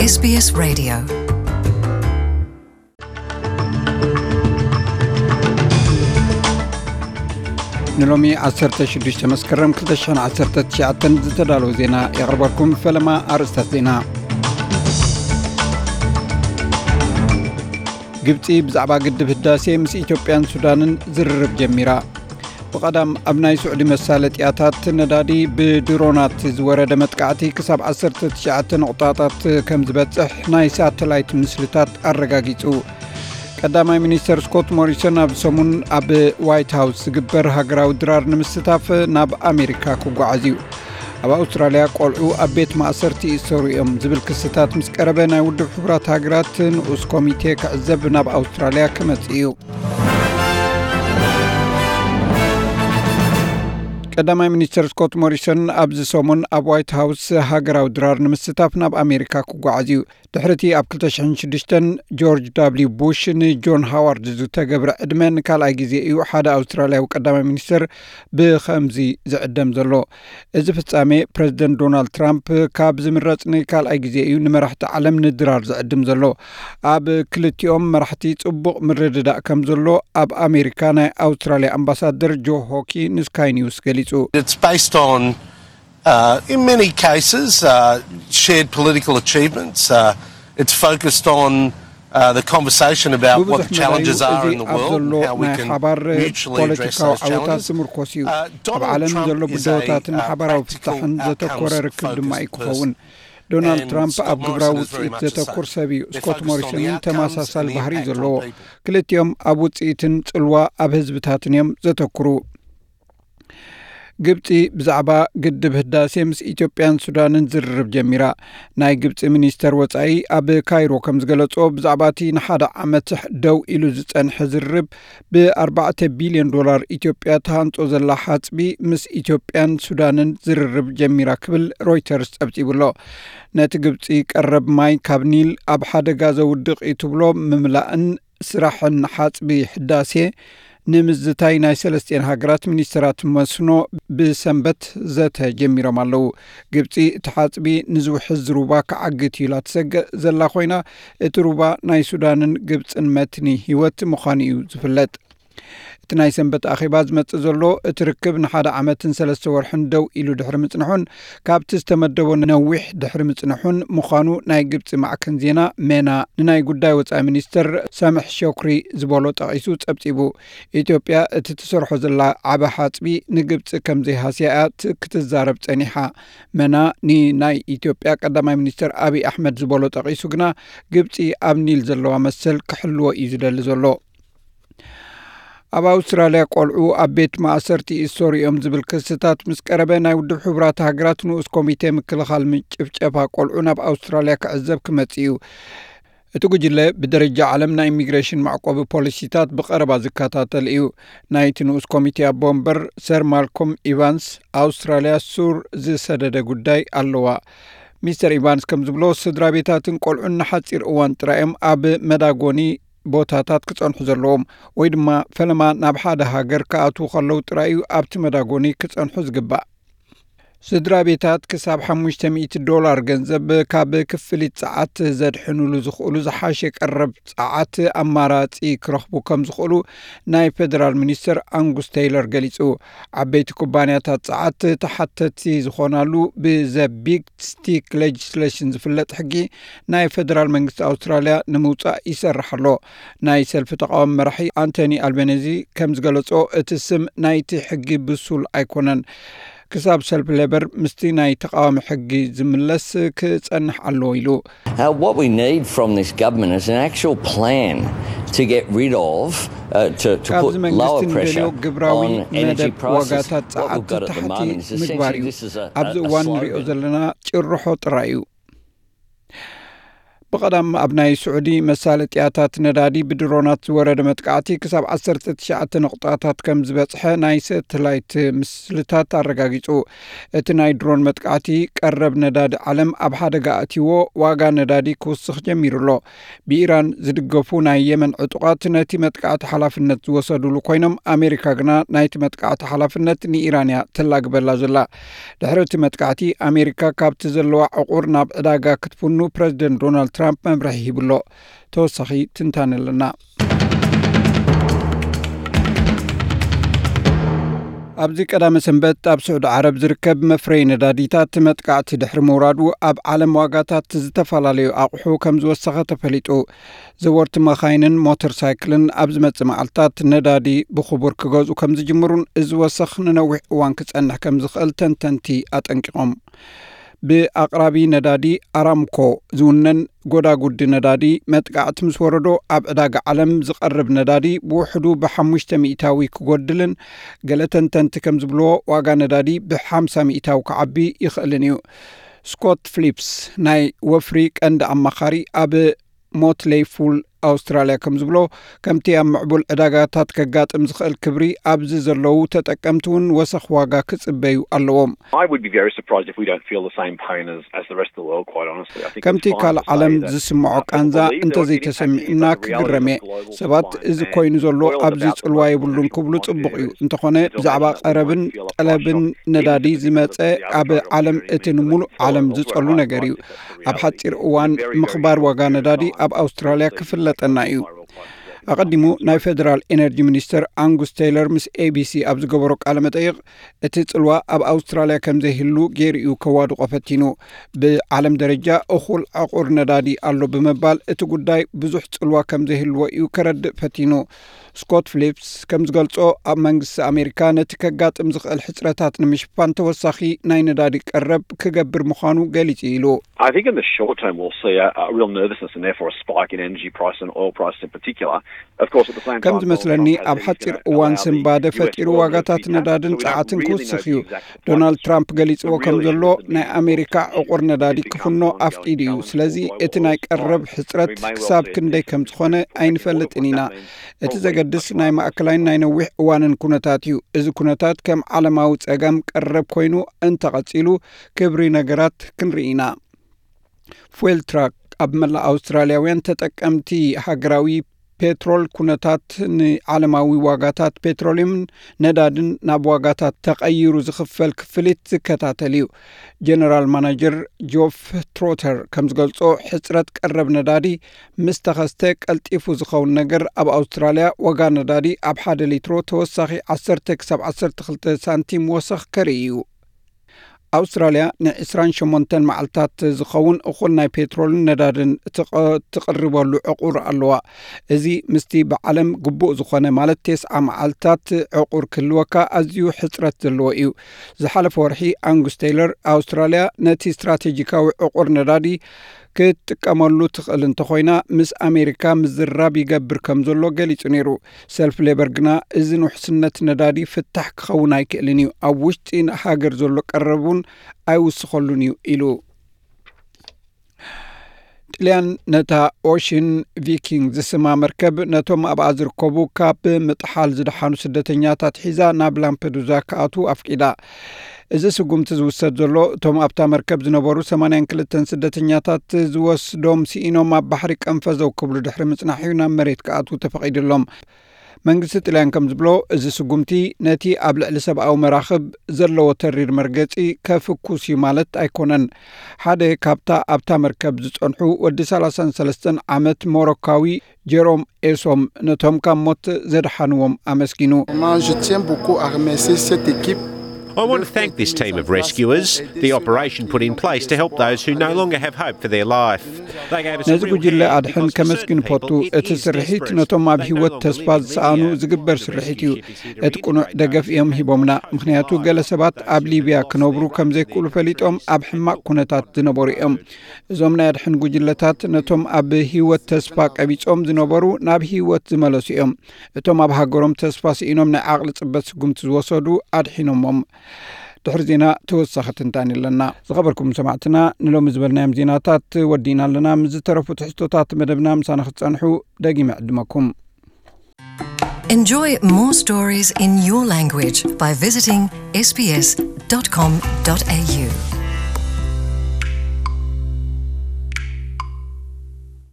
SBS Radio. ንሎሚ ዓሰርተ ሽዱሽተ መስከረም ክልተ ሽሕን ዓሰርተ ትሽዓተን ዝተዳለወ ዜና የቕርበልኩም። ፈለማ ኣርእስታት ዜና። ግብጺ ብዛዕባ ግድብ ህዳሴ ምስ ኢትዮጵያን ሱዳንን ዝርርብ ጀሚራ። ብቐዳም ኣብ ናይ ስዑዲ መሳለጥያታት ነዳዲ ብድሮናት ዝወረደ መጥቃዕቲ ክሳብ ዓሰርተ ትሽዓተ ነቑጣታት ከም ዝበጽሕ ናይ ሳተላይት ምስልታት ኣረጋጊጹ። ቀዳማይ ሚኒስተር ስኮት ሞሪሰን ኣብ ሰሙን ኣብ ዋይት ሃውስ ዝግበር ሃገራዊ ድራር ንምስታፍ ናብ ኣሜሪካ ክጓዓዝ እዩ። ኣብ ኣውስትራልያ ቆልዑ ኣብ ቤት ማእሰርቲ ይእሰሩ እዮም ዝብል ክስታት ምስ ቀረበ ናይ ውድብ ሕቡራት ሃገራት ንኡስ ኮሚቴ ክዕዘብ ናብ ኣውስትራልያ ክመጽእ እዩ። ቀዳማይ ሚኒስተር ስኮት ሞሪሰን ኣብዚ ሰሙን ኣብ ዋይት ሃውስ ሃገራዊ ድራር ንምስታፍ ናብ ኣሜሪካ ክጓዓዝ እዩ። ድሕሪ እቲ ኣብ ክልተ ሽሕን ሽዱሽተን ጆርጅ ዳብሊው ቡሽ ንጆን ሃዋርድ ዝተገብረ ዕድመ ንካልኣይ ግዜ እዩ ሓደ ኣውስትራልያዊ ቀዳማይ ሚኒስተር ብኸምዚ ዝዕደም ዘሎ። እዚ ፍጻሜ ፕረዚደንት ዶናልድ ትራምፕ ካብ ዝምረጽ ንካልኣይ ግዜ እዩ ንመራሕቲ ዓለም ንድራር ዝዕድም ዘሎ። ኣብ ክልቲኦም መራሕቲ ጽቡቕ ምርድዳእ ከም ዘሎ ኣብ ኣሜሪካ ናይ ኣውስትራልያ ኣምባሳደር ጆ ሆኪ ንስካይ ኒውስ ገሊጹ። It's based on, uh, in many cases, uh, shared political achievements. Uh, it's focused on, uh, the conversation about what the ብብዙሕ መዳዩ challenges are እዚ in the ኣብ world ዘሎ and how we ናይ can ሓባር mutually address ፖለቲካዊ those ዓወታት challenges. ዝምርኮስ እዩ። Uh, ኣብ Donald ዓለም Trump ዘሎ is a, ብድሆታትን uh, ሓባራዊ practical ፍታሕን ዘተኮረ outcomes ርክብ ድማ እዩ focused ክኸውን። person. ዶናልድ And ትራምፕ Scott ኣብ ግብራዊ Morrison is very ውፅኢት much the ዘተኩር same. ሰብ እዩ። They're ስኮት focused on ሞሪሰን the እውን outcomes and the ተመሳሳሊ ባህሪ እዩ impact ዘለዎ። On people. ክልቲኦም ኣብ ውፅኢትን ጽልዋ ኣብ ህዝብታትን እዮም ዘተኩሩ። ግብጺ ብዛዕባ ግድብ ህዳሴ ምስ ኢትዮጵያን ሱዳንን ዝርርብ ጀሚራ። ናይ ግብጺ ሚኒስተር ወጻኢ ኣብ ካይሮ ከም ዝገለጾ፣ ብዛዕባ እቲ ንሓደ ዓመት ደው ኢሉ ዝጸንሐ ዝርርብ፣ ብ ኣርባዕተ ቢልዮን ዶላር ኢትዮጵያ ትሃንጾ ዘላ ሓጽቢ ምስ ኢትዮጵያን ሱዳንን ዝርርብ ጀሚራ ክብል ሮይተርስ ጸብጺቡ ኣሎ። ነቲ ግብጺ ቀረብ ማይ ካብ ኒል ኣብ ሓደጋ ዘውድቕ እዩ ትብሎ ምምላእን ስራሕን ሓጽቢ ህዳሴ ንምዝታይ ናይ ሰለስቲኤን ሃገራት ሚኒስተራት መስኖ ብሰንበት ዘተ ጀሚሮም ኣለዉ። ግብጺ እቲ ሓጽቢ ንዝውሕዝ ሩባ ክዓግት እዩ ኢላ ትሰግእ ዘላ ኮይና፣ እቲ ሩባ ናይ ሱዳንን ግብጽን መትኒ ህይወት ምዃኑ እዩ ዝፍለጥ። እቲ ናይ ሰንበት ኣኼባ ዝመጽእ ዘሎ፣ እቲ ርክብ ንሓደ ዓመትን ሰለስተ ወርሕን ደው ኢሉ ድሕሪ ምጽንሑን ካብቲ ዝተመደቦ ነዊሕ ድሕሪ ምጽንሑን ምዃኑ ናይ ግብጺ ማዕከን ዜና ሜና ንናይ ጉዳይ ወጻኢ ሚኒስተር ሳምሕ ሾክሪ ዝበሎ ጠቒሱ ጸብጺቡ። ኢትዮጵያ እቲ ትሰርሖ ዘላ ዓቢ ሓጽቢ ንግብጺ ከም ዘይሃስያ እያ ት-፣ ክትዛረብ ጸኒሓ። መና ንናይ ኢትዮጵያ ቀዳማይ ሚኒስተር ኣብይ ኣሕመድ ዝበሎ ጠቒሱ ግና፣ ግብጺ ኣብ ኒል ዘለዋ መሰል ክሕልዎ እዩ ዝደሊ ዘሎ። ኣብ ኣውስትራልያ ቆልዑ ኣብ ቤት ማእሰርቲ ይእሰሩ እዮም ዝብል ክስታት ምስ ቀረበ፣ ናይ ውድብ ሕቡራት ሃገራት ንኡስ ኮሚቴ ምክልኻል ምጭፍጨፋ ቆልዑ ናብ ኣውስትራልያ ክዕዘብ ክመጽእ እዩ። እቲ ጉጅለ ብደረጃ ዓለም ናይ ኢሚግሬሽን መዕቆቢ ፖሊሲታት ብቐረባ ዝከታተል እዩ። ናይቲ ንኡስ ኮሚቴ ኣቦ ወንበር ሰር ማልኮም ኢቫንስ፣ ኣውስትራልያ ሱር ዝሰደደ ጉዳይ ኣለዋ። ሚስተር ኢቫንስ ከም ዝብሎ፣ ስድራ ቤታትን ቆልዑን ንሓጺር እዋን ጥራይ እዮም ኣብ መዳጎኒ ቦታታት ክጸንሑ ዘለዎም፣ ወይ ድማ ፈለማ ናብ ሓደ ሃገር ክኣትዉ ከለዉ ጥራይ እዩ ኣብቲ መዳጎኒ ክጸንሑ ዝግባእ። ስድራ ቤታት ክሳብ ሓሙሽተ ሚእቲ ዶላር ገንዘብ ካብ ክፍሊት ጸዓት ዘድሕኑሉ ዝኽእሉ ዝሓሸ ቀረብ ጸዓት ኣማራጺ ክረኽቡ ከም ዝኽእሉ ናይ ፌደራል ሚኒስተር ኣንጉስ ቴይለር ገሊጹ። ዓበይቲ ኩባንያታት ጸዓት ተሓተቲ ዝኾናሉ ብዘ ቢግ ስቲክ ሌጅስሌሽን ዝፍለጥ ሕጊ ናይ ፌደራል መንግስቲ ኣውስትራልያ ንምውጻእ ይሰርሕ ኣሎ። ናይ ሰልፊ ተቃዋሚ መራሒ ኣንቶኒ ኣልቤነዚ ከም ዝገለጾ፣ እቲ ስም ናይቲ ሕጊ ብሱል ኣይኮነን። ክሳብ ሰልፊ ሌበር ምስቲ ናይ ተቃዋሚ ሕጊ ዝምለስ ክጸንሕ ኣለዎ ኢሉ። Uh, what we need from this government is an actual plan to get rid of, uh, to, to ካብዚ put መንግስቲ lower ንደልዮ pressure ግብራዊ on energy መደብ prices. ዋጋታት What ጸዓት we've got at the ታሕቲ moment is ምግባር essentially እዩ። This is a, ኣብዚ a, a እዋን ንሪኦ ዘለና ጭርሖ ጥራይ እዩ። ብቐዳም ኣብ ናይ ስዑዲ መሳለጥያታት ነዳዲ ብድሮናት ዝወረደ መጥቃዕቲ ክሳብ ዓሰርተ ትሽዓተ ነቑጣታት ከም ዝበጽሐ ናይ ሰተላይት ምስልታት ኣረጋጊጹ። እቲ ናይ ድሮን መጥቃዕቲ ቀረብ ነዳዲ ዓለም ኣብ ሓደጋ ኣእትይዎ፣ ዋጋ ነዳዲ ክውስኽ ጀሚሩ ኣሎ። ብኢራን ዝድገፉ ናይ የመን ዕጡቓት ነቲ መጥቃዕቲ ሓላፍነት ዝወሰዱሉ ኮይኖም፣ ኣሜሪካ ግና ናይቲ መጥቃዕቲ ሓላፍነት ንኢራን እያ ተላግበላ ዘላ። ድሕሪ እቲ መጥቃዕቲ፣ ኣሜሪካ ካብቲ ዘለዋ ዕቑር ናብ ዕዳጋ ክትፍኑ ፕረዚደንት ዶናልድ ትራምፕ መምርሒ ሂቡ ኣሎ። ተወሳኺ ትንታነ ኣለና። ኣብዚ ቀዳመ ሰንበት ኣብ ስዑዲ ዓረብ ዝርከብ መፍረዪ ነዳዲታት መጥቃዕቲ ድሕሪ ምውራዱ፣ ኣብ ዓለም ዋጋታት ዝተፈላለዩ ኣቑሑ ከም ዝወሰኸ ተፈሊጡ። ዘወርቲ መኻይንን ሞተር ሳይክልን ኣብ ዝመጽእ መዓልታት ነዳዲ ብኽቡር ክገዝኡ ከም ዝጅምሩን እዚ ወሰኽ ንነዊሕ እዋን ክጸንሕ ከም ዝኽእል ተንተንቲ ኣጠንቂቖም። ብኣቕራቢ ነዳዲ ኣራምኮ ዝውነን ጎዳጉዲ ነዳዲ መጥቃዕቲ ምስ ወረዶ፣ ኣብ ዕዳጋ ዓለም ዝቐርብ ነዳዲ ብውሕዱ ብሓሙሽተ ሚእታዊ ክጎድልን፣ ገለ ተንተንቲ ከም ዝብልዎ፣ ዋጋ ነዳዲ ብሓምሳ ሚእታዊ ክዓቢ ይኽእልን እዩ። ስኮት ፍሊፕስ፣ ናይ ወፍሪ ቀንዲ ኣማኻሪ ኣብ ሞትሌይ ፉል ኣውስትራልያ፣ ከም ዝብሎ፣ ከምቲ ኣብ ምዕቡል ዕዳጋታት ከጋጥም ዝኽእል ክብሪ፣ ኣብዚ ዘለዉ ተጠቀምቲ እውን ወሰኽ ዋጋ ክጽበዩ ኣለዎም። I would be very surprised if we don't feel the same pain as, as the rest of the world, quite honestly. I think ከምቲ ካልእ ዓለም ዝስምዖ ቃንዛ እንተዘይተሰሚዑና ክግረም እየ። ሰባት እዚ ኮይኑ ዘሎ ኣብዚ ጽልዋ የብሉን ክብሉ ጽቡቕ እዩ። እንተኾነ ብዛዕባ ቀረብን ጠለብን ነዳዲ ዝመጸ ኣብ ዓለም እቲ ንምሉእ ዓለም ዝጸሉ ነገር እዩ። ኣብ ሓጺር እዋን ምኽባር ዋጋ ነዳዲ ኣብ ኣውስትራልያ ክፍለጠና እዩ። ኣቐዲሙ ናይ ፌደራል ኤነርጂ ሚኒስተር ኣንጉስ ቴይለር ምስ ኤቢሲ ኣብ ዝገበሮ ቃለ መጠይቕ፣ እቲ ጽልዋ ኣብ ኣውስትራልያ ከም ዘይህሉ ገይሩ እዩ ከዋድቖ ፈቲኑ። ብዓለም ደረጃ እኹል ዕቑር ነዳዲ ኣሎ ብምባል፣ እቲ ጉዳይ ብዙሕ ጽልዋ ከም ዘይህልዎ እዩ ከረድእ ፈቲኑ። ስኮት ፍሊፕስ ከም ዝገልጾ፣ ኣብ መንግስቲ ኣሜሪካ ነቲ ከጋጥም ዝኽእል ሕጽረታት ንምሽፋን ተወሳኺ ናይ ነዳዲ ቀረብ ክገብር ምዃኑ ገሊጹ ኢሉ። I think in the short term we'll see a, a real nervousness and therefore a spike in energy price and oil price in particular. Of course, at the same ከም time, ዝመስለኒ፣ ኣብ ሓጺር እዋን ስንባደ ፈጢሩ ዋጋታት ነዳድን ጸዓትን ክውስኽ እዩ። ዶናልድ ትራምፕ ገሊጽዎ ከም ዘሎ፣ ናይ ኣሜሪካ ዕቑር ነዳዲ ክፍኖ ኣፍቂዱ እዩ። ስለዚ እቲ ናይ ቀረብ ሕጽረት ክሳብ ክንደይ ከም ዝኾነ ኣይንፈልጥን ኢና። እቲ ዘገድስ ናይ ማእከላይን ናይ ነዊሕ እዋንን ኩነታት እዩ። እዚ ኩነታት ከም ዓለማዊ ጸገም ቀረብ ኮይኑ እንተቐጺሉ፣ ክብሪ ነገራት ክንርኢ ኢና። ፉዌል ትራክ ኣብ መላእ ኣውስትራልያውያን ተጠቀምቲ ሃገራዊ ፔትሮል ኩነታት ንዓለማዊ ዋጋታት ፔትሮልዮምን ነዳድን ናብ ዋጋታት ተቐይሩ ዝኽፈል ክፍሊት ዝከታተል እዩ። ጀነራል ማናጀር ጆፍ ትሮተር ከም ዝገልጾ፣ ሕጽረት ቀረብ ነዳዲ ምስ ተኸስተ ቀልጢፉ ዝኸውን ነገር፣ ኣብ ኣውስትራልያ ዋጋ ነዳዲ ኣብ ሓደ ሊትሮ ተወሳኺ ዓሰርተ ክሳብ ዓሰርተ ክልተ ሳንቲም ወሰኽ ከርኢ እዩ። ኣውስትራልያ ንዕስራን ሸሞንተን መዓልታት ዝኸውን እኹል ናይ ፔትሮልን ነዳድን ትቐ-፣ ትቕርበሉ ዕቑር ኣለዋ። እዚ ምስቲ ብዓለም ግቡእ ዝኾነ፣ ማለት ተስዓ መዓልታት ዕቑር ክህልወካ ኣዝዩ ሕጽረት ዘለዎ እዩ። ዝሓለፈ ወርሒ ኣንጉስ ቴይለር፣ ኣውስትራልያ ነቲ ስትራቴጂካዊ ዕቑር ነዳዲ ክትጥቀመሉ ትኽእል እንተኾይና፣ ምስ ኣሜሪካ ምዝርራብ ይገብር ከም ዘሎ ገሊጹ ነይሩ። ሰልፊ ሌበር ግና፣ እዚ ንውሕስነት ነዳዲ ፍታሕ ክኸውን ኣይክእልን እዩ። ኣብ ውሽጢ ሃገር ዘሎ ቀረብ እውን ኣይውስኸሉን እዩ ኢሉ። ጥልያን ነታ ኦሽን ቪኪንግ ዝስማ መርከብ ነቶም ኣብኣ ዝርከቡ ካብ ምጥሓል ዝደሓኑ ስደተኛታት ሒዛ ናብ ላምፐዱዛ ክኣትዉ ኣፍቂዳ። እዚ ስጉምቲ ዝውሰድ ዘሎ፣ እቶም ኣብታ መርከብ ዝነበሩ ሰማንያን ክልተን ስደተኛታት ዝወስዶም ስኢኖም ኣብ ባሕሪ ቀንፈዘው ክብሉ ድሕሪ ምጽናሕ እዩ ናብ መሬት ክኣትዉ ተፈቒድሎም። መንግስቲ ጥልያን ከም ዝብሎ፣ እዚ ስጉምቲ ነቲ ኣብ ልዕሊ ሰብኣዊ መራኽብ ዘለዎ ተሪር መርገጺ ከፍኩስ እዩ ማለት ኣይኮነን። ሓደ ካብታ ኣብታ መርከብ ዝጸንሑ ወዲ ሰላሳን ሰለስተን ዓመት ሞሮካዊ ጀሮም ኤሶም ነቶም ካብ ሞት ዘድሓንዎም ኣመስጊኑ። Moi, je tiens beaucoup à remercier cette équipe. I want to thank this team of rescuers, the operation put in place to help those who no longer have hope for their life. They gave us a ነዚ real ጉጅለ hand ኣድሕን because ከመስግን certain እፈቱ። People, it እቲ is ስርሒት desperate. ነቶም ኣብ They no ህይወት longer ተስፋ live in ዝሰኣኑ Libya. ዝግበር ስርሒት እዩ። እቲ ቅኑዕ ደገፍ እዮም ሂቦምና፣ ምኽንያቱ ገለ ሰባት ኣብ ሊብያ ክነብሩ ከም ዘይክእሉ ፈሊጦም ኣብ ሕማቕ ኩነታት ዝነበሩ እዮም። እዞም ናይ ኣድሕን ጉጅለታት ነቶም ኣብ ህይወት ተስፋ ቀቢጾም ዝነበሩ ናብ ህይወት ዝመለሱ እዮም። እቶም ኣብ ሃገሮም ተስፋ ስኢኖም ናይ ዓቕሊ ጽበት ስጉምቲ ዝወሰዱ ኣድሒኖሞም። ድሕሪ ዜና ተወሳኺ ትንታኒ ኣለና። ዝኸበርኩም ሰማዕትና፣ ንሎሚ ዝበልናዮም ዜናታት ወዲእና ኣለና። ምስ ዝተረፉ ትሕዝቶታት መደብና ምሳና ክትጸንሑ ደጊመ ዕድመኩም። Enjoy more stories in your language by visiting S B S dot com dot A U.